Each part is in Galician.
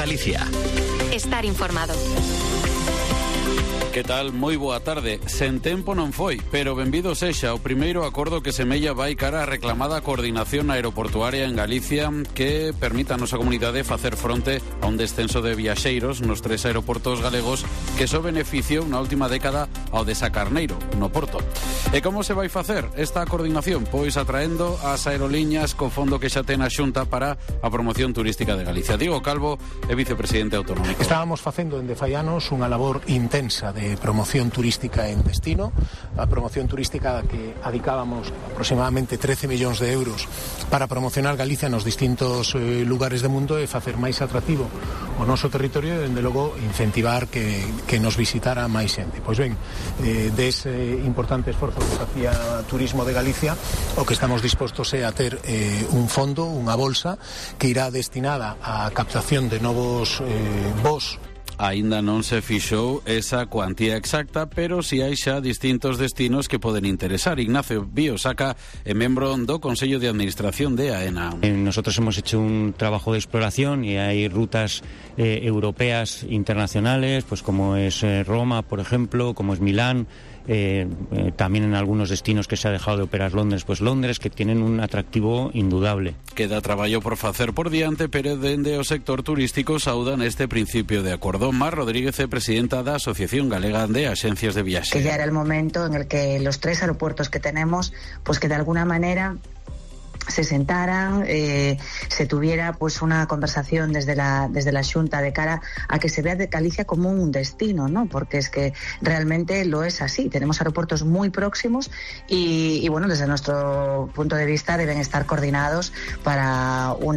Galicia. Estar informado. Que tal? Moi boa tarde. Sen tempo non foi, pero benvido sexa o primeiro acordo que semella vai cara a reclamada coordinación aeroportuaria en Galicia que permita a nosa comunidade facer fronte a un descenso de viaxeiros nos 3 aeroportos galegos que só beneficiou na última década ao de Sacarneiro, no Porto. E como se vai facer esta coordinación? Pois atraendo as aeroliñas co fondo que xa ten a Xunta para a promoción turística de Galicia. Diego Calvo é vicepresidente autonómico. Estábamos facendo en Defaianos unha labor intensa de promoción turística en destino, a promoción turística que adicábamos aproximadamente 13 millóns de euros para promocionar Galicia nos distintos lugares do mundo e facer máis atractivo o noso territorio e, dende logo, incentivar que nos visitara máis xente. Pois ben, dese importante esforzo que facía Turismo de Galicia, o que estamos dispostos é a ter un fondo, unha bolsa, que irá destinada á captación de novos voos. Aínda non se fixou esa cuantía exacta, pero si hai xa distintos destinos que poden interesar. Ignacio Biosaca é membro do Consello de Administración de AENA. Nosotros hemos hecho un trabajo de exploración y hay rutas europeas internacionales, pues como es Roma, por ejemplo, como es Milán. También en algunos destinos que se ha dejado de operar Londres, pues Londres, que tienen un atractivo indudable. Queda traballo por facer por diante, pero dende o sector turístico saudan este principio de acordo. Mar Rodríguez é presidenta da Asociación Galega de Axencias de Viaxe. Que ya era el momento en el que los 3 aeropuertos que tenemos, pues que de alguna manera se sentaran, se tuviera pues una conversación desde la Xunta de cara a que se vea de Galicia como un destino, ¿no? Porque es que realmente lo es así. Tenemos aeropuertos muy próximos y bueno, desde nuestro punto de vista deben estar coordinados para un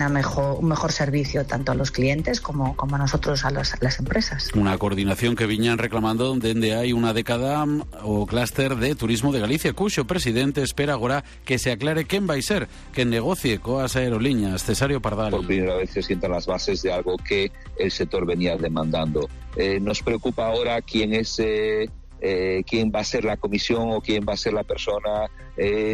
mejor servicio tanto a los clientes como a nosotros, a las empresas. Una coordinación que viñan reclamando dende hai unha década o clúster de Turismo de Galicia, cuxo presidente espera agora que se aclare quen vai ser que negocie coas aeroliñas. Cesario Pardal. Por primera vez se sientan las bases de algo que el sector venía demandando. Nos preocupa ahora quién va a ser la comisión o quién va a ser la persona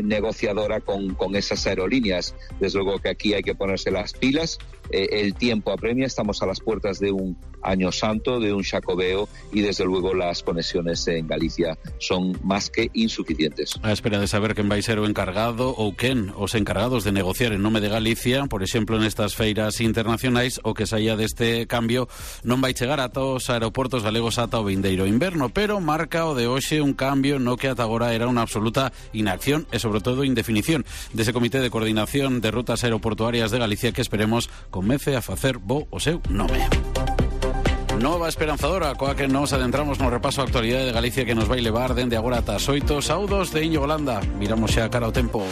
negociadora con esas aerolíneas. Desde luego que aquí hay que ponerse las pilas. El tiempo apremia, estamos a las puertas de un año santo, de un Xacobeo, y desde luego las conexiones en Galicia son más que insuficientes. A espera de saber quen vai ser o encargado ou quen os encargados de negociar en nome de Galicia, por exemplo, nestas feiras internacionais, o que saía deste cambio non vai chegar ata os aeroportos galegos ata o vindeiro inverno, pero marca o de hoxe un cambio no que ata agora era unha absoluta inacción e, sobre todo, indefinición dese Comité de Coordinación de Rutas Aeroportuarias de Galicia que esperemos comece a facer bo o seu nome. Nova esperanzadora, coa que nos adentramos no repaso a actualidade de Galicia que nos vai levar dende agora ata as 8. Saudos de Íñigo Landa. Miramos xa cara ao tempo.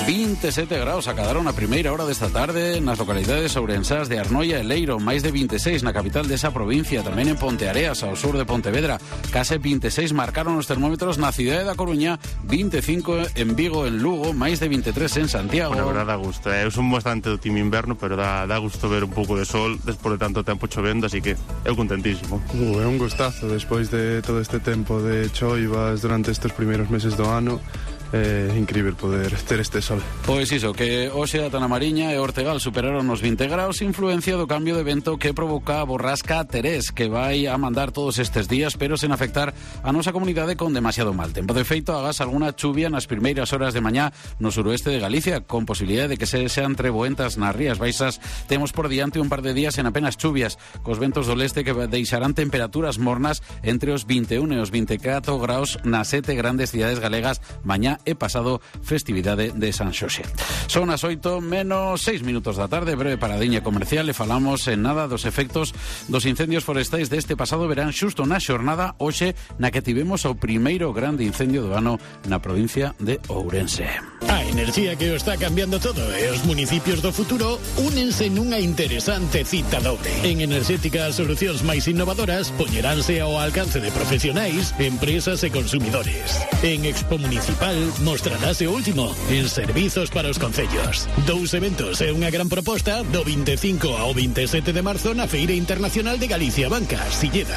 27 graus acadaron a primeira hora desta tarde nas localidades ourensás de Arnoia e Leiro, máis de 26 na capital desa provincia, tamén en Ponteareas, ao sur de Pontevedra. Case 26 marcaron os termómetros na cidade da Coruña, 25 en Vigo, en Lugo, máis de 23 en Santiago. Bueno, verdad, dá gusto. Eu son bastante do time inverno, pero dá gusto ver un pouco de sol despois de tanto tempo chovendo, así que eu contentísimo. É un gustazo despois de todo este tempo de choivas durante estes primeiros meses do ano. É incrível poder ter este sol. Pois iso, que hoxe ata na Mariña e Ortegal superaron os 20 graus, influencia do cambio de vento que provoca a borrasca Terés, que vai a mandar todos estes días, pero sen afectar a nosa comunidade con demasiado mal tempo. De feito, agás algunha chuvia nas primeiras horas de mañá no suroeste de Galicia, con posibilidade de que sean treboentas nas Rías Baixas. Temos por diante un par de días en apenas chuvias, cos ventos do leste que deixarán temperaturas mornas entre os 21 e os 24 graus nas 7 grandes cidades galegas mañá e pasado festividade de San Xoxe. Son as 8 menos 6 minutos da tarde, breve paradiña comercial e falamos en nada dos efectos dos incendios forestais deste pasado verán xusto na xornada hoxe na que tivemos o primeiro grande incendio do ano na provincia de Ourense. A enerxía que o está cambiando todo e os municipios do futuro únense nunha interesante cita dobre. En Enerxética as solucións máis innovadoras poñeránse ao alcance de profesionais, empresas e consumidores. En Expo Municipal mostrarase o último en servizos para os concellos. 2 eventos e unha gran proposta do 25 ao 27 de marzo na Feira Internacional de Galicia Banca, Silleda.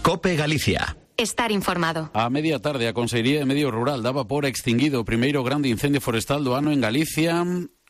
COPE Galicia. Estar informado. A media tarde a Consellería de Medio Rural daba por extinguido o primeiro grande incendio forestal do ano en Galicia.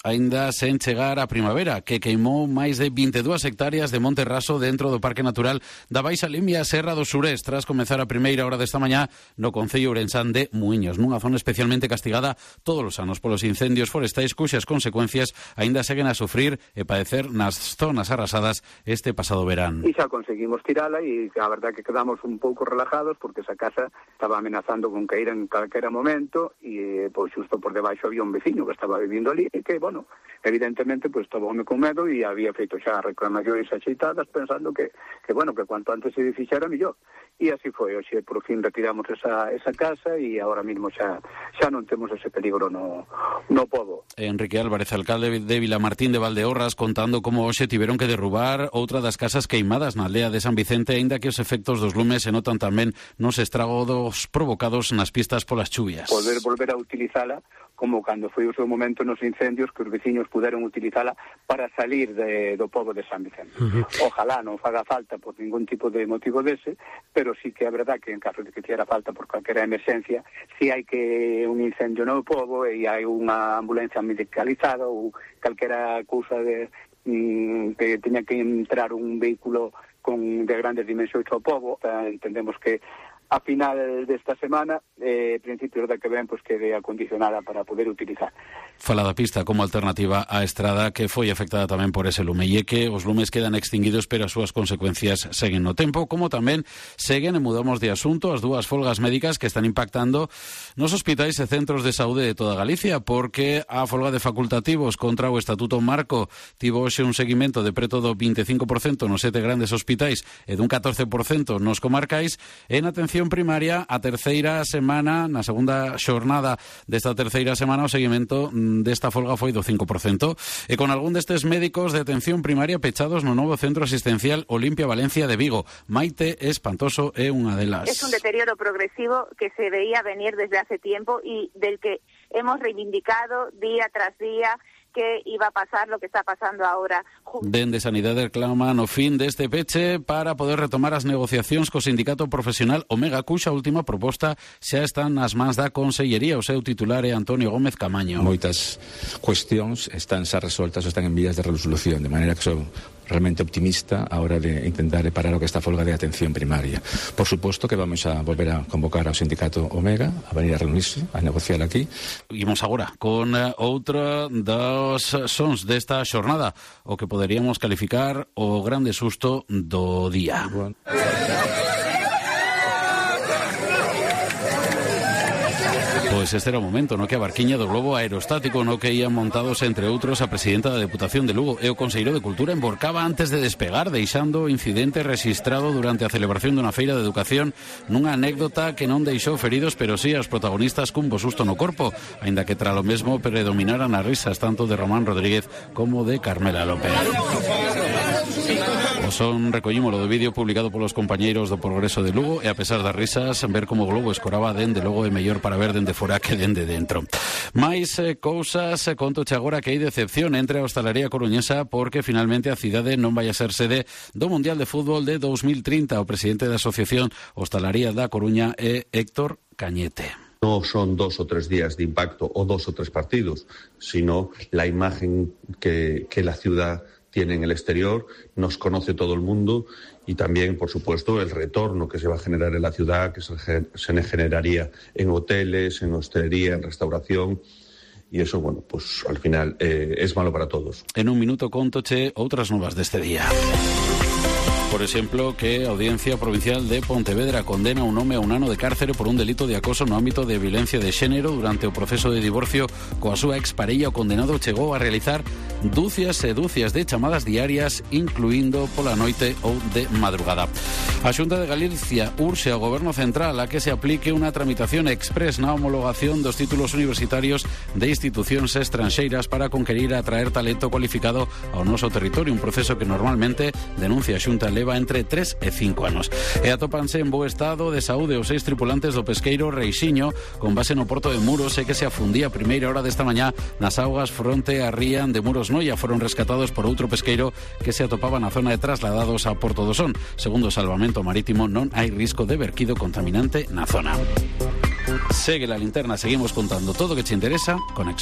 aínda sen chegar a primavera, que queimou máis de 22 hectáreas de monte raso dentro do Parque Natural da Baixa Limia Serra do Surés, tras comezar a primeira hora desta mañá no concello ourensán de Muiños, nunha zona especialmente castigada todos os anos polos incendios forestais, cuxas consecuencias aínda seguen a sufrir e padecer nas zonas arrasadas este pasado verán. E xa conseguimos tirala e a verdade que quedamos un pouco relajados porque esa casa estaba amenazando con caer en calquera momento e pois xusto por debaixo había un veciño que estaba vivindo ali e que, bueno, evidentemente pois tomoume con medo e había feito xa reclamacións axeitadas pensando que bueno, que cuanto antes se fixera mellor. E así foi, hoxe por fin retiramos esa casa e agora mismo xa non temos ese peligro no pobo. Enrique Álvarez, alcalde de Vilamartín de Valdeorras, contando como hoxe tiveron que derrubar outra das casas queimadas na aldea de San Vicente, aínda que os efectos dos lumes se notan tamén nos estragos provocados nas pistas polas chuvias. Volver a utilizala como cando foi o seu momento nos incendios, que os veciños puderon utilizala para salir do pobo de San Vicente. Ojalá non faga falta por ningún tipo de motivo dese, pero sí que é verdad que en caso de que fixera falta por calquera emerxencia, si hai que un incendio no pobo e hai unha ambulancia medicalizada ou calquera cousa que teña que entrar un vehículo de grandes dimensións ao pobo, entendemos que a final desta semana, principios da que ven, pois quede acondicionada para poder utilizar. Fala da pista como alternativa á estrada que foi afectada tamén por ese lume e que os lumes quedan extinguidos pero as súas consecuencias seguen no tempo, como tamén seguen, e mudamos de asunto, as dúas folgas médicas que están impactando nos hospitais e centros de saúde de toda Galicia, porque a folga de facultativos contra o Estatuto Marco tivo hoxe un seguimento de preto do 25% nos 7 grandes hospitais e dun 14% nos comarcais. En atención primaria, a terceira semana, na segunda xornada desta terceira semana, o seguimento desta folga foi do 5%, e con algún destes médicos de atención primaria pechados no novo centro asistencial Olimpia Valencia de Vigo. Maite Espantoso é unha delas. Es un deterioro progresivo que se veía venir desde hace tiempo y del que hemos reivindicado día tras día que iba a pasar lo que está pasando ahora. Dende Sanidade reclaman o fin deste peche para poder retomar as negociacións co sindicato profesional Omega, cuxa última proposta xa está nas mans da Consellería. O seu titular é Antonio Gómez Camaño. Moitas cuestións están xa resoltas ou están en vías de resolución, de maneira que son realmente optimista a hora de intentar reparar o que está a folga de atención primaria. Por suposto que vamos a volver a convocar ao sindicato Omega a venir a reunirse, a negociar aquí. Imos agora con outra dos sons desta xornada, o que poderíamos calificar o grande susto do día. Pois este era o momento no que a barquiña do globo aerostático no que ían montados, entre outros, a presidenta da Deputación de Lugo e o conselleiro de Cultura emborcaba antes de despegar, deixando o incidente rexistrado durante a celebración dunha feira de educación nunha anécdota que non deixou feridos, pero sí aos protagonistas cun bo susto no corpo, aínda que tra lo mesmo predominaran as risas tanto de Román Rodríguez como de Carmela López. O son recollímolo do vídeo publicado polos compañeiros do Progreso de Lugo e a pesar das risas, ver como o globo escoraba dende logo é mellor para ver dende fora que dende dentro. Mais cousas, contoche agora que hai decepción entre a hostalería coruñesa porque finalmente a cidade non vai a ser sede do Mundial de Fútbol de 2030. O presidente da Asociación Hostalaría da Coruña é Héctor Cañete. No son 2 o 3 días de impacto o 2 o 3 partidos, sino la imagen que la ciudad tiene en el exterior, nos conoce todo el mundo y también, por supuesto, el retorno que se va a generar en la ciudad, que se generaría en hoteles, en hostelería, en restauración. Y eso, bueno, pues al final es malo para todos. En un minuto contoche outras novas deste día. Por exemplo, que a Audiencia Provincial de Pontevedra condena un home a un ano de cárcere por un delito de acoso no ámbito de violencia de xénero durante o proceso de divorcio coa súa exparella. O condenado chegou a realizar dúcias e dúcias de chamadas diarias, incluindo pola noite ou de madrugada. A Xunta de Galicia urxe ao Goberno Central a que se aplique unha tramitación express na homologación dos títulos universitarios de institucións estranxeiras para conquerir e atraer talento cualificado ao noso territorio, un proceso que normalmente, denuncia a Xunta, leva entre 3 e 5 anos. E atópanse en bo estado de saúde os 6 tripulantes do pesqueiro Reixiño con base no porto de Muros e que se afundía a primeira hora desta mañá nas augas fronte a ría de Muros Noia. Foron rescatados por outro pesqueiro que se atopaba na zona de trasladados a Porto do Son. Segundo o Salvamento Marítimo, non hai risco de verquido contaminante na zona. Segue la linterna, seguimos contando todo o que te interesa con Express.